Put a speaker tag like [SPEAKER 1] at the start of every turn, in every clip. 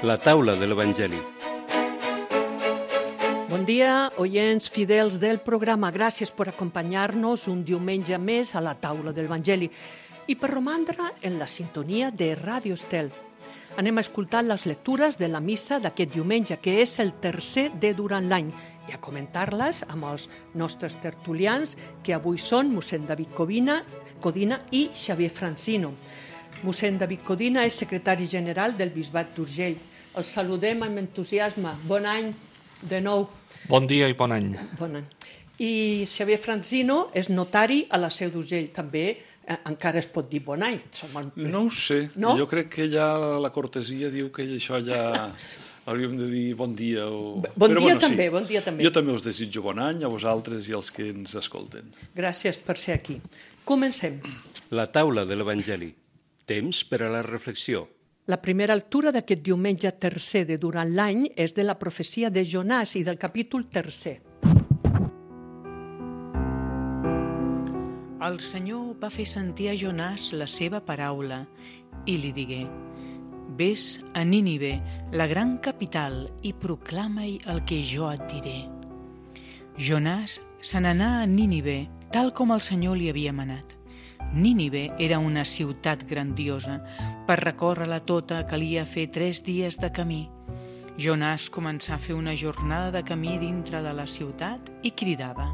[SPEAKER 1] La taula de l'Evangeli.
[SPEAKER 2] Bon dia, oients fidels del programa. Gràcies per acompanyar-nos un diumenge més a la taula de l'Evangeli i per romandre en la sintonia de Ràdio Estel. Anem a escoltar les lectures de la missa d'aquest diumenge, que és el tercer de durant l'any, i a comentar-les amb els nostres tertulians, que avui són mossèn David Codina i Xavier Francino. Mossèn David Codina és secretari general del Bisbat d'Urgell. Els saludem amb entusiasme. Bon any de nou.
[SPEAKER 3] Bon dia i bon any.
[SPEAKER 2] Bon any. I Xavier Francino és notari a la Seu d'Urgell. També encara es pot dir bon any.
[SPEAKER 4] No ho sé.
[SPEAKER 2] No?
[SPEAKER 4] Jo crec que ja la cortesia diu que això ja hauríem de dir bon dia.
[SPEAKER 2] Bon dia també.
[SPEAKER 4] Jo també us desitjo bon any a vosaltres i als que ens escolten.
[SPEAKER 2] Gràcies per ser aquí. Comencem.
[SPEAKER 1] La taula de l'Evangeli. Temps per a la reflexió.
[SPEAKER 2] La primera lectura d'aquest diumenge tercer de durant l'any és de la profecia de Jonàs i del capítol tercer.
[SPEAKER 5] El Senyor va fer sentir a Jonàs la seva paraula i li digué: «Ves a Nínive, la gran capital, i proclama-hi el que jo et diré». Jonàs se n'anà a Nínive, tal com el Senyor li havia manat. Nínive era una ciutat grandiosa. Per recórrer-la tota calia fer 3 dies de camí. Jonàs començà a fer una jornada de camí dintre de la ciutat i cridava: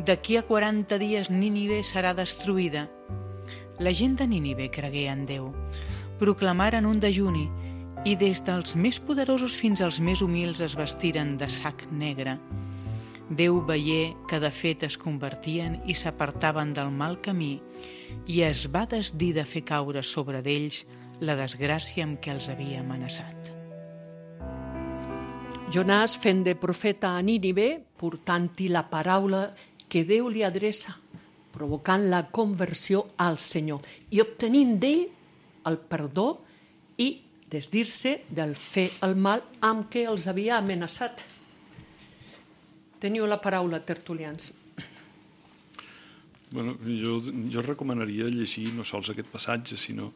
[SPEAKER 5] «D'aquí a 40 dies Nínive serà destruïda». La gent de Nínive cregué en Déu. Proclamaren un dejuni i des dels més poderosos fins als més humils es vestiren de sac negre. Déu veié que de fet es convertien i s'apartaven del mal camí i es va desdir de fer caure sobre d'ells la desgràcia amb què els havia amenaçat.
[SPEAKER 2] Jonàs, fent de profeta a Nínive, portant-hi la paraula que Déu li adreça, provocant la conversió al Senyor i obtenint d'ell el perdó i desdir-se del fer el mal amb què els havia amenaçat. Teniu la paraula, tertulians.
[SPEAKER 4] Bueno, jo recomanaria llegir no sols aquest passatge, sinó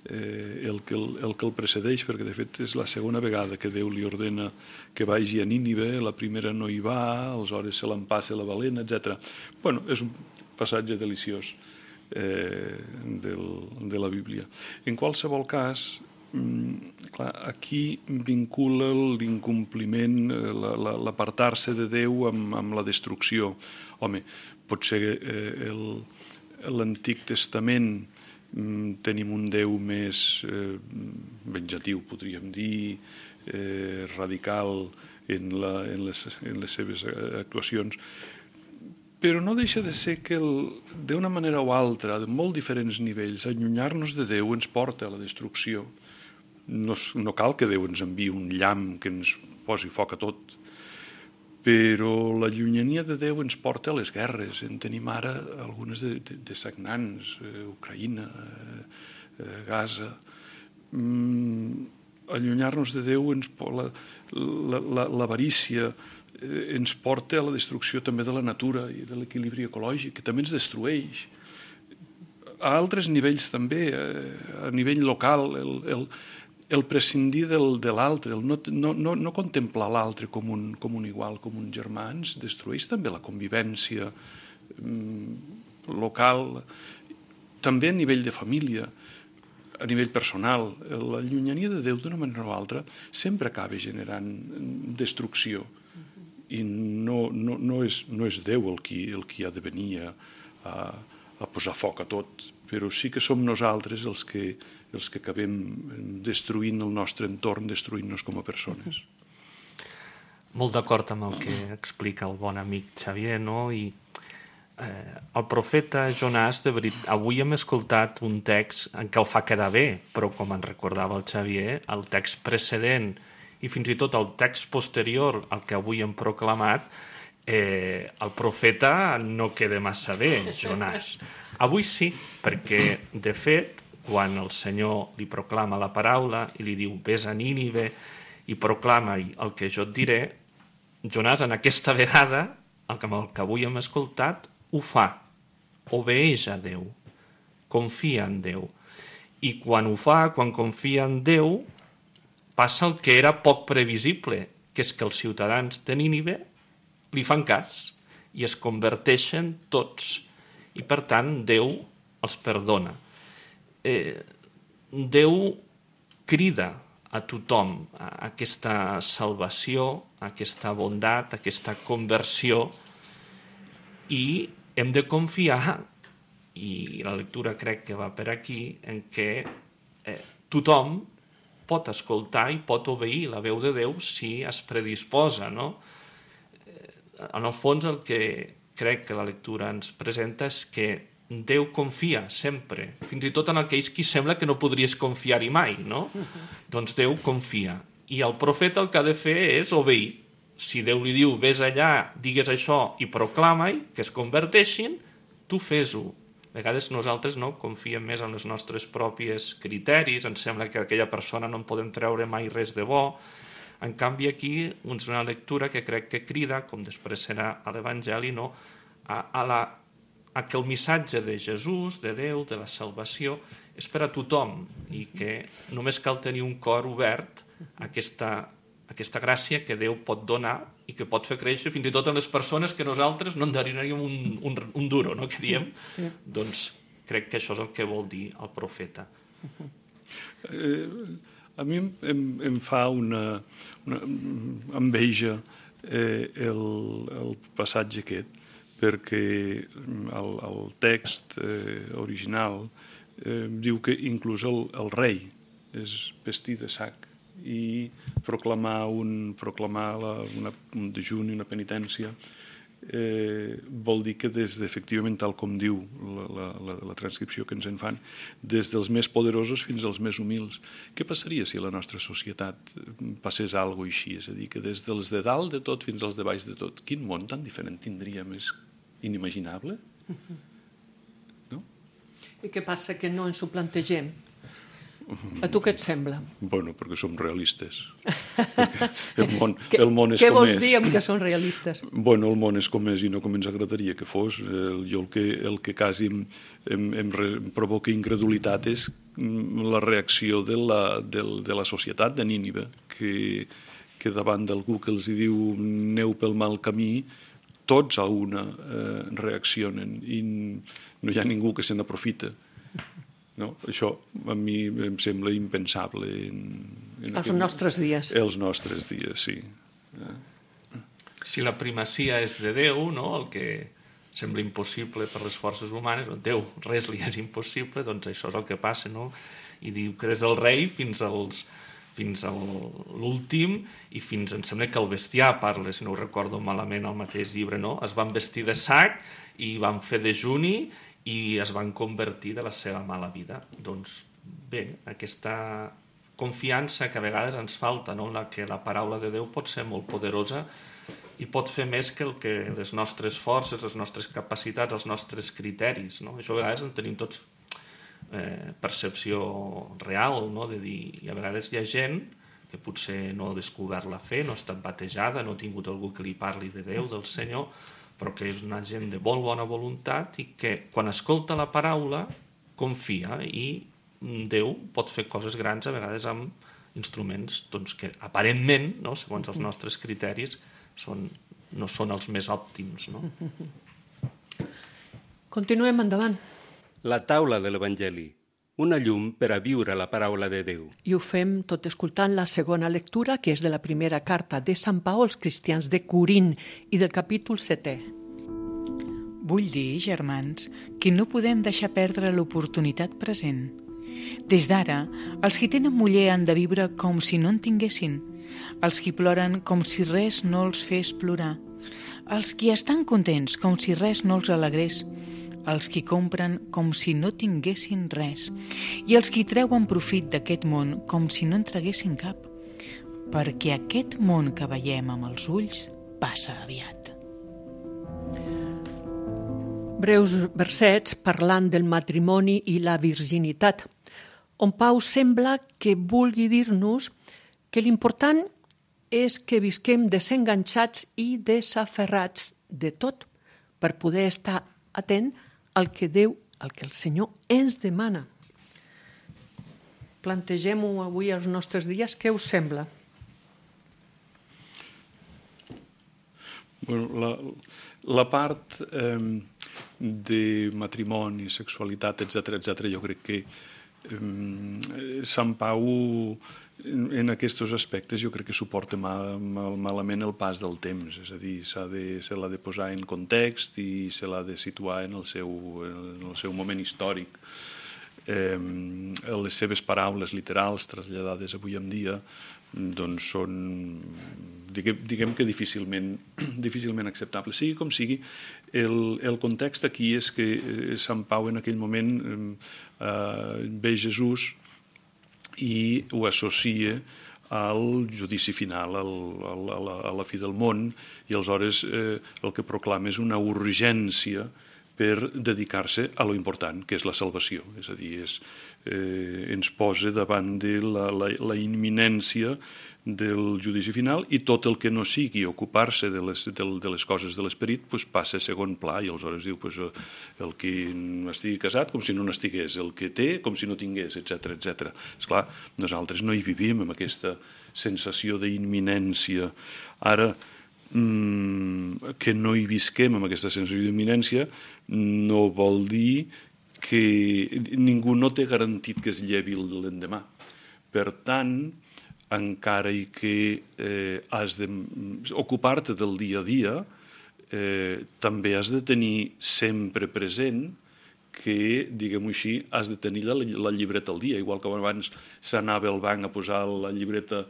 [SPEAKER 4] el que el precedeix, perquè de fet és la segona vegada que Déu li ordena que vagi a Nínive. La primera no hi va, aleshores se l'empassa la balena, etc. Bueno, és un passatge deliciós de la Bíblia. En qualsevol cas, clar, aquí vincula l'incompliment, l'apartar-se de Déu amb la destrucció. Home, potser l'Antic Testament tenim un Déu més venjatiu, podríem dir, radical en les seves actuacions, però no deixa de ser que d'una manera o altra, de molt diferents nivells, allunyar-nos de Déu ens porta a la destrucció. No cal que Déu ens enviï un llamp que ens posi foc a tot, però la llunyania de Déu ens porta a les guerres. En tenim ara algunes de sagnants, Ucraïna, Gaza. Allunyar-nos de Déu, l'avarícia, ens porta a la destrucció també de la natura i de l'equilibri ecològic, que també ens destrueix. A altres nivells també, a nivell local, el prescindir de l'altre, el no contemplar l'altre com un igual, com un germà, ens destrueix també la convivència local, també a nivell de família, a nivell personal. La llunyania de Déu, d'una manera o altra, sempre acaba generant destrucció. I no és Déu el qui ha de venir a posar foc a tot, però sí que som nosaltres els que acabem destruint el nostre entorn, destruint-nos com a persones.
[SPEAKER 3] Molt d'acord amb el que explica el bon amic Xavier, no? I el profeta Jonàs, de veritat, avui hem escoltat un text en què el fa quedar bé, però com ens recordava el Xavier, el text precedent i fins i tot el text posterior al que avui hem proclamat, el profeta no queda massa bé, Jonàs. Avui sí, perquè, de fet, quan el Senyor li proclama la paraula i li diu «Ves a Nínive i proclama-hi el que jo et diré», Jonàs, en aquesta vegada, el que avui hem escoltat, ho fa, obeeix a Déu, confia en Déu. I quan ho fa, quan confia en Déu, passa el que era poc previsible, que és que els ciutadans de Nínive li fan cas i es converteixen tots. I, per tant, Déu els perdona. Déu crida a tothom a aquesta salvació, a aquesta bondat, a aquesta conversió, i hem de confiar, i la lectura crec que va per aquí, en què tothom pot escoltar i pot obeir la veu de Déu si es predisposa, no? En el fons, el que crec que la lectura ens presenta és que Déu confia sempre, fins i tot en aquells qui sembla que no podries confiar-hi mai, no? Doncs Déu confia. I el profeta el que ha de fer és obeir. Si Déu li diu, vés allà, digues això i proclama-hi, que es converteixin, tu fes-ho. A vegades nosaltres no confiem més en els nostres propis criteris, ens sembla que aquella persona no en podem treure mai res de bo. En canvi, aquí és una lectura que crec que crida, com després serà a l'Evangeli, no? a que el missatge de Jesús, de Déu, de la salvació, és per a tothom i que només cal tenir un cor obert a aquesta gràcia que Déu pot donar i que pot fer créixer fins i tot en les persones que nosaltres no en donaríem un duro, no? Que diem? Doncs crec que això és el que vol dir el profeta.
[SPEAKER 4] A mi em fa una enveja el passatge aquest, perquè el text original diu que inclús el rei és vestit de sac i proclamar un dejuni, una penitència, vol dir que efectivament, tal com diu la transcripció que ens en fan, des dels més poderosos fins als més humils. Què passaria si a la nostra societat passés alguna cosa així? És a dir, que des dels de dalt de tot fins als de baix de tot. Quin món tan diferent tindríem? És inimaginable? No?
[SPEAKER 2] I què passa que no ens ho plantegem? A tu què et sembla?
[SPEAKER 4] Bueno, perquè som realistes. El món és
[SPEAKER 2] què
[SPEAKER 4] com
[SPEAKER 2] vols
[SPEAKER 4] és.
[SPEAKER 2] dir amb que són realistes?
[SPEAKER 4] Bueno, el món és com és i no com ens agradaria que fos. Jo el que quasi em provoca incredulitat és la reacció de la societat de Nínive, que davant d'algú que els diu aneu pel mal camí, tots a una reaccionen i no hi ha ningú que se n'aprofita. No? Això a mi em sembla impensable
[SPEAKER 2] als nostres dies.
[SPEAKER 4] Els nostres dies, sí.
[SPEAKER 3] Si la primacia és de Déu, no? El que sembla impossible per les forces humanes, Déu, res li és impossible, doncs això és el que passa, no? I diu que des del rei fins a l'últim i fins, em sembla que el bestiar parla, si no ho recordo malament, al mateix llibre, no? Es van vestir de sac i van fer dejuni i es van convertir de la seva mala vida. Doncs bé, aquesta confiança que a vegades ens falta, no? Que la paraula de Déu pot ser molt poderosa i pot fer més que el que les nostres forces, les nostres capacitats, els nostres criteris, no? Això a vegades en tenim tots percepció real, no? De dir, i a vegades hi ha gent que potser no ha descobert la fe, no ha estat batejada, no ha tingut algú que li parli de Déu, del Senyor, però que és una gent de molt bona voluntat i que quan escolta la paraula confia i Déu pot fer coses grans a vegades amb instruments doncs, que aparentment, no, segons els nostres criteris, no són els més òptims. No?
[SPEAKER 2] Continuem endavant.
[SPEAKER 1] La taula de l'Evangeli, una llum per a viure la paraula de Déu.
[SPEAKER 2] I ho fem tot escoltant la segona lectura, que és de la primera carta de Sant Pau als cristians de Corint i del capítol 7è.
[SPEAKER 5] Vull dir, germans, que no podem deixar perdre l'oportunitat present. Des d'ara, els qui tenen muller han de viure com si no en tinguessin, els qui ploren com si res no els fes plorar, els qui estan contents com si res no els alegrés, els qui compren com si no tinguessin res i els qui treuen profit d'aquest món com si no en traguessin cap, perquè aquest món que veiem amb els ulls passa aviat.
[SPEAKER 2] Breus versets parlant del matrimoni i la virginitat, on Pau sembla que vulgui dir-nos que l'important és que visquem desenganxats i desaferrats de tot per poder estar atent al que Déu, al que el Senyor ens demana. plantegem-ho avui als nostres dies. Què us sembla?
[SPEAKER 4] Bueno, la part de matrimoni, sexualitat, etc., jo crec que Sant Pau en aquests aspectes jo crec que suporta malament el pas del temps, és a dir, se l'ha de posar en context i se l'ha de situar en el seu moment històric. Les seves paraules literals traslladades avui en dia doncs són, diguem que difícilment acceptables. Sigui com sigui, el context aquí és que Sant Pau en aquell moment ve Jesús i ho associa al judici final, a la fi del món, i aleshores el que proclama és una urgència per dedicar-se a lo important, que és la salvació. És a dir, ens posa davant de la imminència del judici final i tot el que no sigui ocupar-se de les coses de l'esperit passa a segon pla i aleshores diu el que estigui casat com si no n'estigués, el que té com si no tingués, etc. Esclar, nosaltres no hi vivim amb aquesta sensació d'imminència. Ara, que no hi visquem amb aquesta sensació d'imminència no vol dir que ningú no té garantit que es llevi l'endemà. Per tant, encara i que has d'ocupar-te del dia a dia, també has de tenir sempre present que, diguem-ho així, has de tenir la llibreta al dia, igual que abans s'anava al banc a posar la llibreta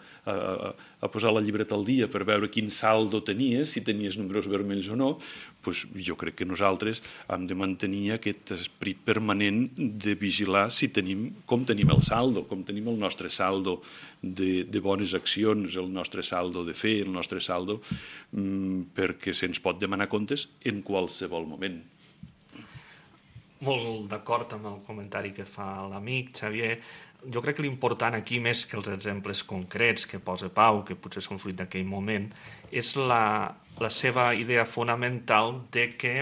[SPEAKER 4] al dia per veure quin saldo tenies, si tenies números vermells o no, doncs jo crec que nosaltres hem de mantenir aquest esperit permanent de vigilar com tenim el saldo, com tenim el nostre saldo de bones accions, el nostre saldo de fe, el nostre saldo, perquè se'ns pot demanar comptes en qualsevol moment.
[SPEAKER 3] Molt d'acord amb el comentari que fa l'amic Xavier. Jo crec que l'important aquí, més que els exemples concrets que posa Pau, que potser són fruit d'aquell moment, és la seva idea fonamental de que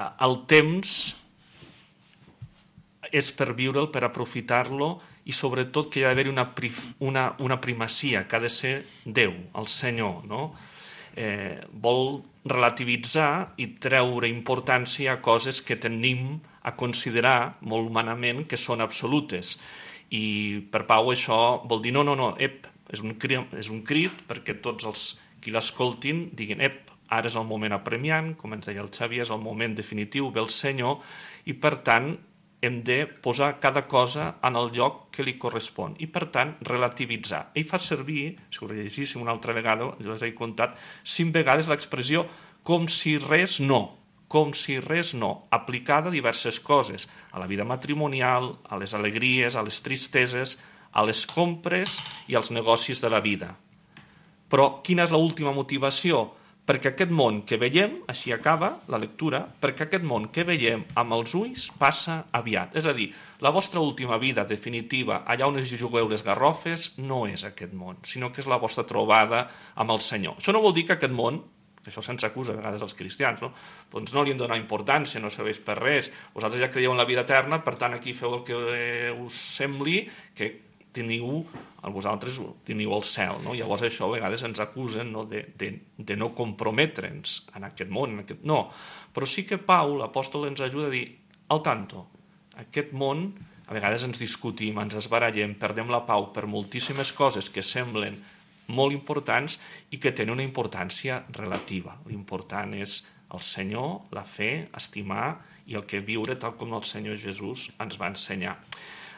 [SPEAKER 3] el temps és per viure'l, per aprofitar-lo, i sobretot que hi ha d'haver una primacia, que ha de ser Déu, el Senyor, no? Vol relativitzar i treure importància a coses que tenim a considerar molt humanament que són absolutes. I per Pau això vol dir no, és un crit perquè tots els qui l'escoltin diguin ara és el moment apremiant, com ens deia el Xavier, és el moment definitiu, ve el Senyor, i per tant hem de posar cada cosa en el lloc que li correspon i, per tant, relativitzar. Ell fa servir, si ho llegíssim una altra vegada, jo us he contat 5 vegades l'expressió com si res no, aplicada a diverses coses, a la vida matrimonial, a les alegries, a les tristeses, a les compres i als negocis de la vida. Però quina és l'última motivació? Perquè aquest món que veiem, així acaba la lectura, perquè aquest món que veiem amb els ulls passa aviat. És a dir, la vostra última vida definitiva, allà on us jugueu les garrofes, no és aquest món, sinó que és la vostra trobada amb el Senyor. Això no vol dir que aquest món, que això se'ns acusa a vegades als cristians, no? Doncs no li hem de donar importància, no serveix per res, vosaltres ja creieu en la vida eterna, per tant aquí feu el que us sembli, que vosaltres teniu el cel, no? Llavors això a vegades ens acusen, no? de no comprometre'ns en aquest món, no, però sí que Pau, l'apòstol, ens ajuda a dir al tanto, aquest món a vegades ens discutim, ens esbarallem, perdem la pau per moltíssimes coses que semblen molt importants i que tenen una importància relativa. L'important és el Senyor, la fe, estimar i el que viure tal com el Senyor Jesús ens va ensenyar.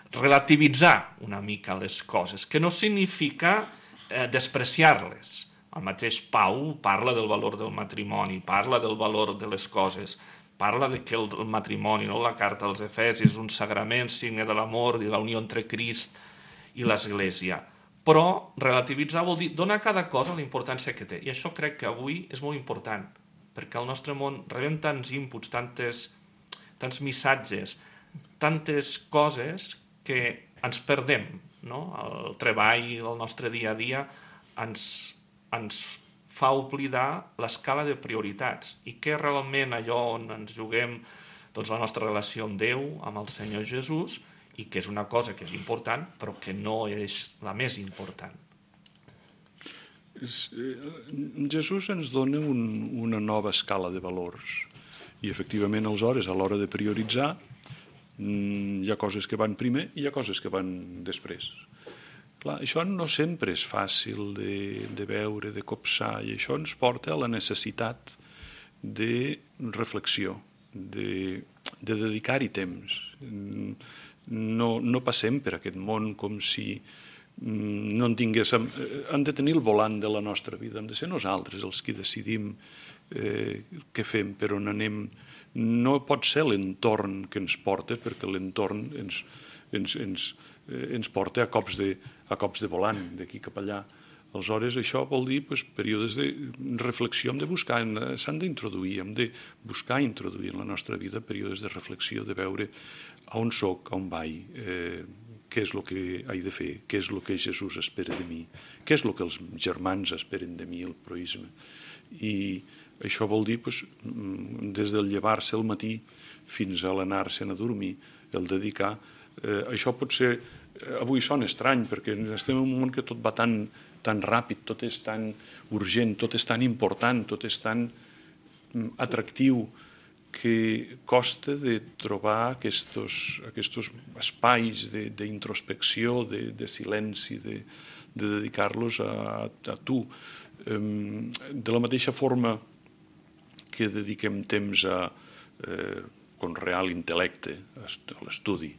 [SPEAKER 3] Relativitzar una mica les coses, que no significa despreciar-les. El mateix Pau parla del valor del matrimoni, parla del valor de les coses, parla de que el matrimoni, no? La carta als Efesis, és un sagrament, signe de l'amor i de la unió entre Crist i l'Església. Però relativitzar vol dir donar a cada cosa la importància que té. I això crec que avui és molt important, perquè al nostre món rebem tants inputs, tants missatges, tantes coses que ens perdem, no? El treball del nostre dia a dia ens fa oblidar l'escala de prioritats i què realment allò on ens juguem doncs, la nostra relació amb Déu, amb el Senyor Jesús, i que és una cosa que és important, però que no és la més important.
[SPEAKER 4] Jesús ens dona una nova escala de valors i efectivament aleshores a l'hora de prioritzar hi ha coses que van primer i hi ha coses que van després. Clar, això no sempre és fàcil de veure, de copsar, i això ens porta a la necessitat de reflexió, de dedicar-hi temps. No passem per aquest món com si no en tinguéssim... Hem de tenir el volant de la nostra vida, hem de ser nosaltres els que decidim què fem, per on anem. No pot ser l'entorn que ens porta, perquè l'entorn ens porta a cops de volant, d'aquí cap allà. Aleshores, això vol dir períodes de reflexió, s'han d'introduir, hem de buscar introduir en la nostra vida períodes de reflexió, de veure on soc, on vaig, què és el que he de fer, què és el que Jesús espera de mi, què és el que els germans esperen de mi, el proïsme. I això vol dir, des del llevar-se al matí fins a l'anar-se'n a dormir, el dedicar. Això pot ser, avui sona estrany, perquè estem en un món que tot va tan ràpid, tot és tan urgent, tot és tan important, tot és tan atractiu, que costa de trobar aquests espais d'introspecció, de silenci, de dedicar-los a tu. De la mateixa forma que dediquem temps a conrear l'intel·lecte, a l'estudi,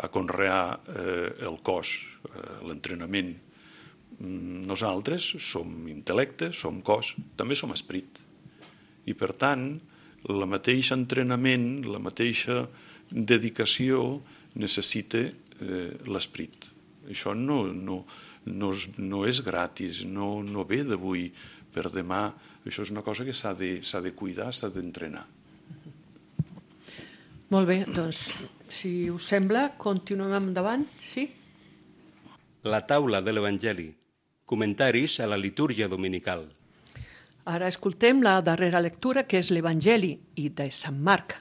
[SPEAKER 4] a conrear el cos, l'entrenament. Nosaltres som intel·lecte, som cos, també som esperit. I per tant, el mateix entrenament, la mateixa dedicació necessita l'esperit. Això no és gratis, no ve d'avui per demà. Això és una cosa que s'ha de cuidar, s'ha d'entrenar.
[SPEAKER 2] Molt bé, doncs, si us sembla, continuem endavant, sí?
[SPEAKER 1] La taula de l'Evangeli. Comentaris a la litúrgia dominical.
[SPEAKER 2] Ara escoltem la darrera lectura, que és l'Evangeli i de Sant Marc,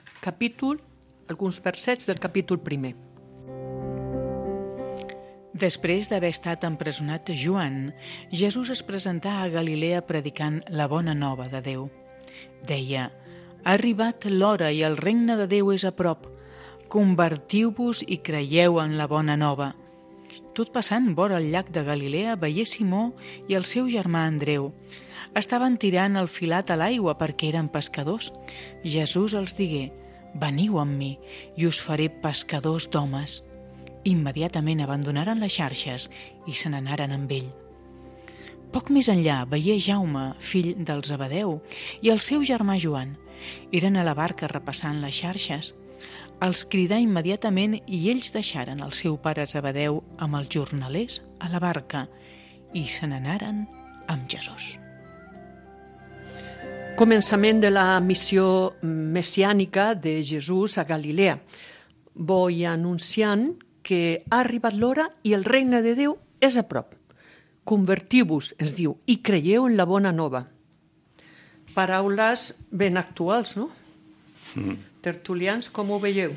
[SPEAKER 2] alguns versets del capítol 1.
[SPEAKER 5] Després d'haver estat empresonat Joan, Jesús es presentà a Galilea predicant la bona nova de Déu. Deia: «Ha arribat l'hora i el regne de Déu és a prop. Convertiu-vos i creieu en la bona nova». Tot passant vora el llac de Galilea veié Simó i el seu germà Andreu. Estaven tirant el filat a l'aigua perquè eren pescadors. Jesús els digué: «Veniu amb mi i us faré pescadors d'homes». Immediatament abandonaren les xarxes i se n'anaren amb ell. Poc més enllà veié Jaume, fill del Zebedeu, i el seu germà Joan. Eren a la barca repassant les xarxes. Els cridà immediatament i ells deixaren el seu pare Zebedeu amb els jornalers a la barca i se n'anaren amb Jesús.
[SPEAKER 2] Començament de la missió messiànica de Jesús a Galilea. Voy anunciant que ha arribat l'hora i el regne de Déu és a prop. Convertiu-vos, ens diu, i creieu en la bona nova. Paraules ben actuals, no? Tertulians, com ho veieu?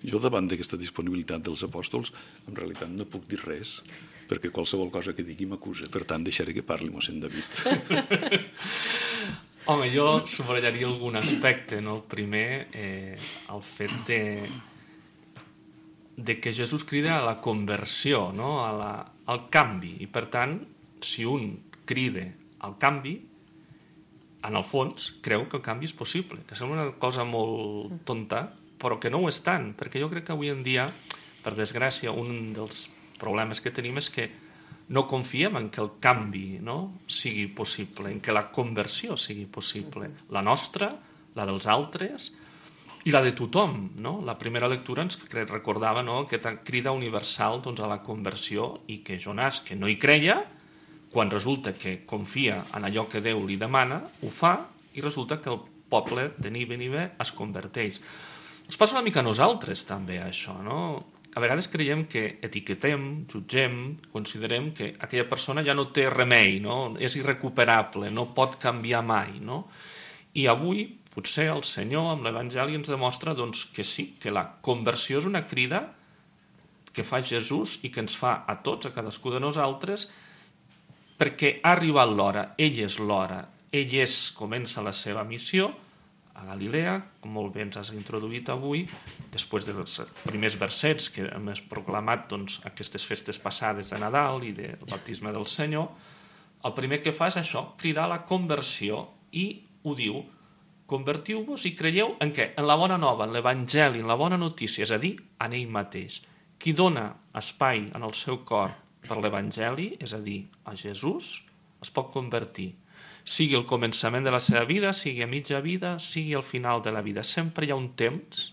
[SPEAKER 4] Jo, davant d'aquesta disponibilitat dels apòstols, en realitat no puc dir res, perquè qualsevol cosa que digui m'acusa. Per tant, deixaré que parli mossèn David.
[SPEAKER 3] Home, jo subrallaria algun aspecte, no? El primer, el fet de que Jesús crida a la conversió, no? Al canvi. I, per tant, si un crida al canvi, en el fons, creu que el canvi és possible, que sembla una cosa molt tonta, però que no ho és tant, perquè jo crec que avui en dia, per desgràcia, un dels problemes que tenim és que no confiem en que el canvi, no, sigui possible, en que la conversió sigui possible. La nostra, la dels altres i la de tothom. No? La primera lectura ens recordava, no, aquesta crida universal, doncs, a la conversió, i que Jonàs, que no hi creia, quan resulta que confia en allò que Déu li demana, ho fa, i resulta que el poble de Nínive es converteix. Ens passa una mica a nosaltres també això, no? A vegades creiem que etiquetem, jutgem, considerem que aquella persona ja no té remei, no? És irrecuperable, no pot canviar mai. No? I avui, potser, el Senyor, amb l'Evangeli, ens demostra doncs, que sí, que la conversió és una crida que fa Jesús i que ens fa a tots, a cadascú de nosaltres, perquè ha arribat l'hora, ell és l'hora, comença la seva missió a Galilea, com molt bé ens has introduït avui, després dels primers versets que hem proclamat aquestes festes passades de Nadal i del baptisme del Senyor. El primer que fa és això, cridar a la conversió, i ho diu: convertiu-vos i creieu en què? En la bona nova, en l'Evangeli, en la bona notícia, és a dir, en ell mateix. Qui dona espai en el seu cor per l'Evangeli, és a dir, a Jesús, es pot convertir. Sigui el començament de la seva vida, sigui a mitja vida, sigui al final de la vida. Sempre hi ha un temps,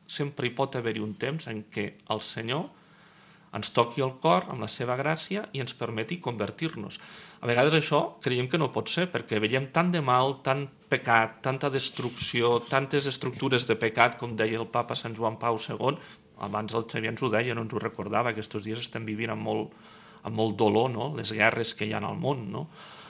[SPEAKER 3] sempre hi pot haver-hi un temps en què el Senyor ens toqui el cor amb la seva gràcia i ens permeti convertir-nos. A vegades això creiem que no pot ser, perquè veiem tant de mal, tant pecat, tanta destrucció, tantes estructures de pecat, com deia el papa Sant Joan Pau II. Abans el Xavier ens ho deia, no ens ho recordava, que aquests dies estem vivint amb molt dolor, no? Les guerres que hi ha al món, no?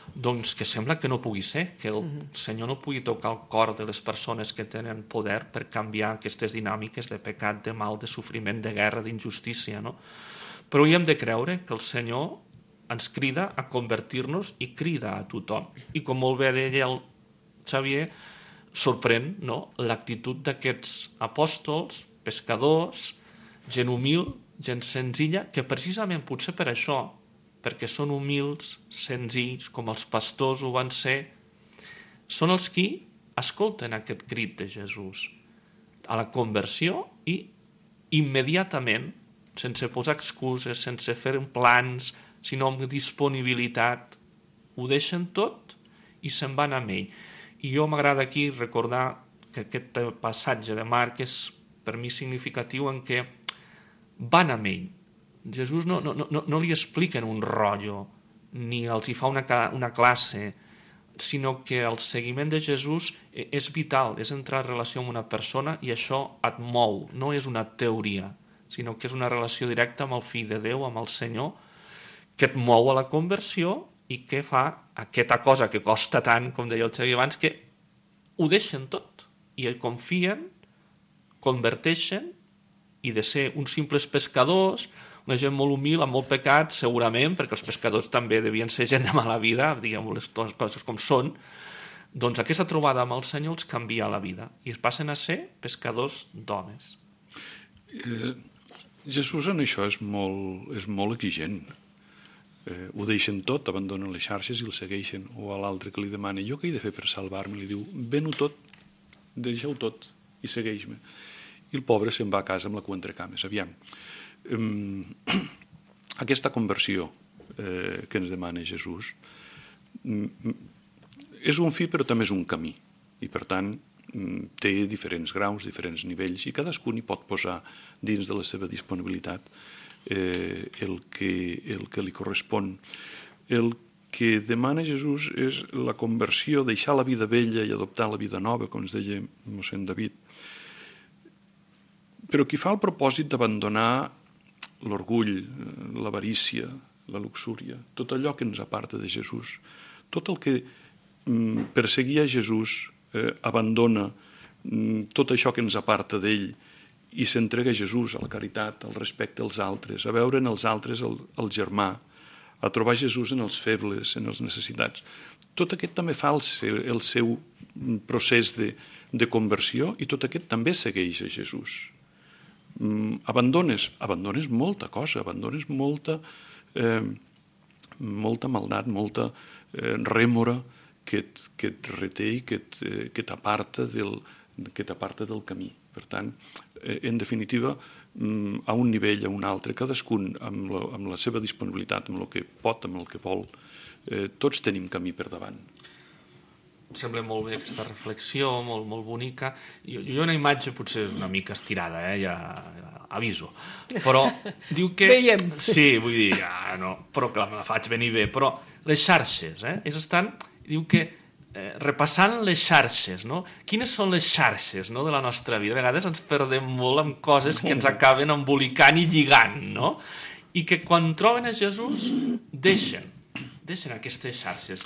[SPEAKER 3] Doncs que sembla que no pugui ser, que el Senyor no pugui tocar el cor de les persones que tenen poder per canviar aquestes dinàmiques de pecat, de mal, de sofriment, de guerra, d'injustícia, no? Però hi hem de creure que el Senyor ens crida a convertir-nos i crida a tothom. I com molt bé deia el Xavier, sorprèn, no?, l'actitud d'aquests apòstols, pescadors, gent humil, gent senzilla, que precisament potser per això, perquè són humils, senzills, com els pastors ho van ser, són els qui escolten aquest crit de Jesús a la conversió i immediatament, sense posar excuses, sense fer plans, sinó amb disponibilitat, ho deixen tot i se'n van amb ell. I jo m'agrada aquí recordar que aquest passatge de Marc és per mi significatiu en què van amb ell. Jesús no li expliquen un rotllo, ni els hi fa una classe, sinó que el seguiment de Jesús és vital, és entrar en relació amb una persona i això et mou, no és una teoria, sinó que és una relació directa amb el Fill de Déu, amb el Senyor, que et mou a la conversió i que fa aquesta cosa que costa tant, com deia el Xavier abans, que ho deixen tot i hi confien, converteixen, i de ser uns simples pescadors, una gent molt humil, amb molt pecat, segurament, perquè els pescadors també devien ser gent de mala vida, diguem les coses com són, doncs aquesta trobada amb el Senyor els canvia la vida i es passen a ser pescadors d'homes.
[SPEAKER 4] Jesús en això és molt exigent. Ho deixen tot, abandonen les xarxes i el segueixen. O a l'altre que li demana, jo què he de fer per salvar-me? Li diu, ven-ho tot, deixa-ho tot i segueix-me. I el pobre se'n va a casa amb la cua entre cames. Aviam, aquesta conversió que ens demana Jesús és un fi però també és un camí i per tant té diferents graus, diferents nivells i cadascun hi pot posar dins de la seva disponibilitat el que li correspon. El que demana Jesús és la conversió, deixar la vida vella i adoptar la vida nova, com ens deia mossèn David. Però qui fa el propòsit d'abandonar l'orgull, l'avarícia, la luxúria, tot allò que ens aparta de Jesús, tot el que perseguia Jesús abandona tot això que ens aparta d'ell i s'entrega a Jesús, a la caritat, al respecte als altres, a veure en els altres el germà, a trobar Jesús en els febles, en els necessitats. Tot aquest també fa el seu procés de conversió i tot aquest també segueix a Jesús. Abandones molta cosa, abandones molta maldat, molta rèmora que et reté i que t'aparta del camí. Per tant, en definitiva, a un nivell, a un altre, cadascun amb la seva disponibilitat, amb el que pot, amb el que vol, tots tenim camí per davant.
[SPEAKER 3] Em sembla molt bé aquesta reflexió, molt, molt bonica. Jo una imatge potser és una mica estirada, ja aviso. Però diu que...
[SPEAKER 2] Veiem.
[SPEAKER 3] Sí, vull dir, no, però clar, me la faig venir bé. Però les xarxes, diu que repassant les xarxes, no? Quines són les xarxes, no, de la nostra vida? A vegades ens perdem molt amb coses que ens acaben embolicant i lligant, no? I que quan troben a Jesús deixen deixen aquestes xarxes.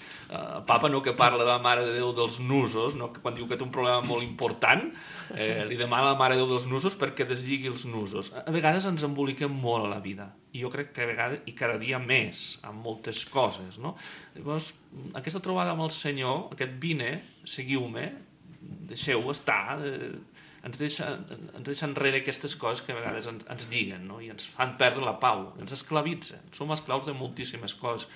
[SPEAKER 3] Papa no que parla de la Mare de Déu dels nusos, no? Que quan diu que té un problema molt important, li demana a la Mare de Déu dels nusos perquè deslligui els nusos. A vegades ens emboliquem molt a la vida, i jo crec que a vegades, i cada dia més, amb moltes coses, no? Llavors, aquesta trobada amb el Senyor, aquest vine, seguiu-me, deixeu estar, ens deixa enrere aquestes coses que a vegades ens lliguen, no? I ens fan perdre la pau, ens esclavitzen. Som esclaus de moltíssimes coses.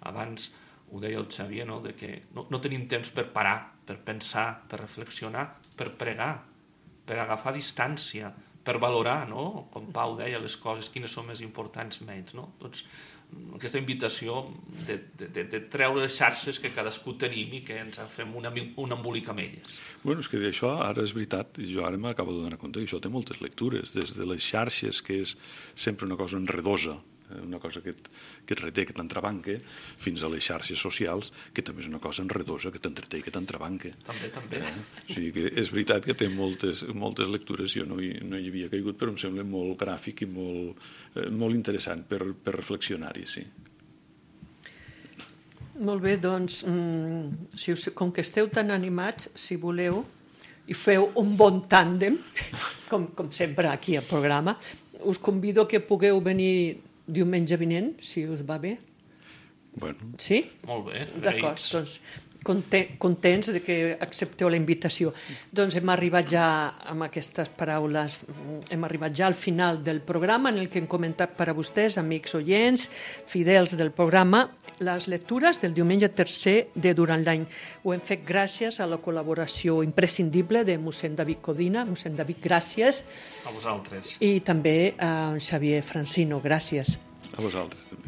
[SPEAKER 3] Abans ho deia el Xavier, no? De que no tenim temps per parar, per pensar, per reflexionar, per pregar, per agafar distància, per valorar, no? Com Pau deia, les coses, quines són més importants, menys, no? Doncs aquesta invitació de treure les xarxes que cadascú tenim i que ens fem un embolic amb elles.
[SPEAKER 4] Bueno, és que això ara és veritat, jo ara m'acabo de donar compte que això té moltes lectures, des de les xarxes, que és sempre una cosa enredosa, una cosa que et reté, que t'entrebanca, fins a les xarxes socials, que també és una cosa enredosa, que t'entreté i que t'entrebanca.
[SPEAKER 3] També.
[SPEAKER 4] O sigui que és veritat que té moltes lectures, jo no hi havia caigut, però em sembla molt gràfic i molt interessant per reflexionar-hi, sí.
[SPEAKER 2] Molt bé, doncs, com que esteu tan animats, si voleu, i feu un bon tàndem, com sempre aquí al programa, us convido que pugueu venir diumenge vinent, si us va bé.
[SPEAKER 4] Bueno.
[SPEAKER 2] Sí?
[SPEAKER 3] Molt bé,
[SPEAKER 2] d'acord, doncs contents de que accepteu la invitació. Doncs hem arribat ja amb aquestes paraules, hem arribat ja al final del programa en el que hem comentat per a vostès, amics oients, fidels del programa, les lectures del diumenge tercer de durant l'any. Ho hem fet gràcies a la col·laboració imprescindible de mossèn David Codina. Mossèn David, gràcies.
[SPEAKER 3] A vosaltres.
[SPEAKER 2] I també a Xavier Francino, gràcies.
[SPEAKER 4] A vosaltres també.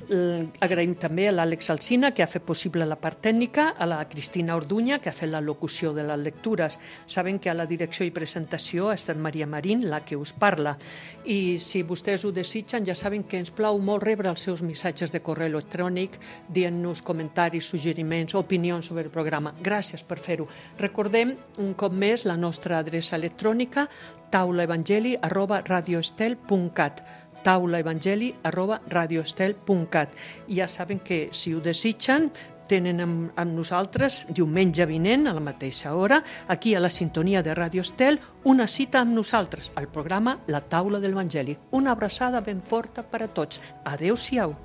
[SPEAKER 2] Agraïm també a l'Àlex Alsina, que ha fet possible la part tècnica, a la Cristina Orduña, que ha fet la locució de les lectures. Saben que a la direcció i presentació ha estat Maria Marín, la que us parla. I si vostès ho desitgen, ja saben que ens plau molt rebre els seus missatges de correu electrònic, dient-nos comentaris, suggeriments, opinions sobre el programa. Gràcies per fer-ho. Recordem un cop més la nostra adreça electrònica, taulaevangeli@radioestel.cat, taulaevangeli@radioestel.cat. I ja saben que, si ho desitgen, tenen amb nosaltres diumenge vinent a la mateixa hora, aquí a la sintonia de Ràdio Estel, una cita amb nosaltres al programa La Taula de l'Evangeli. Una abraçada ben forta per a tots. Adéu-siau.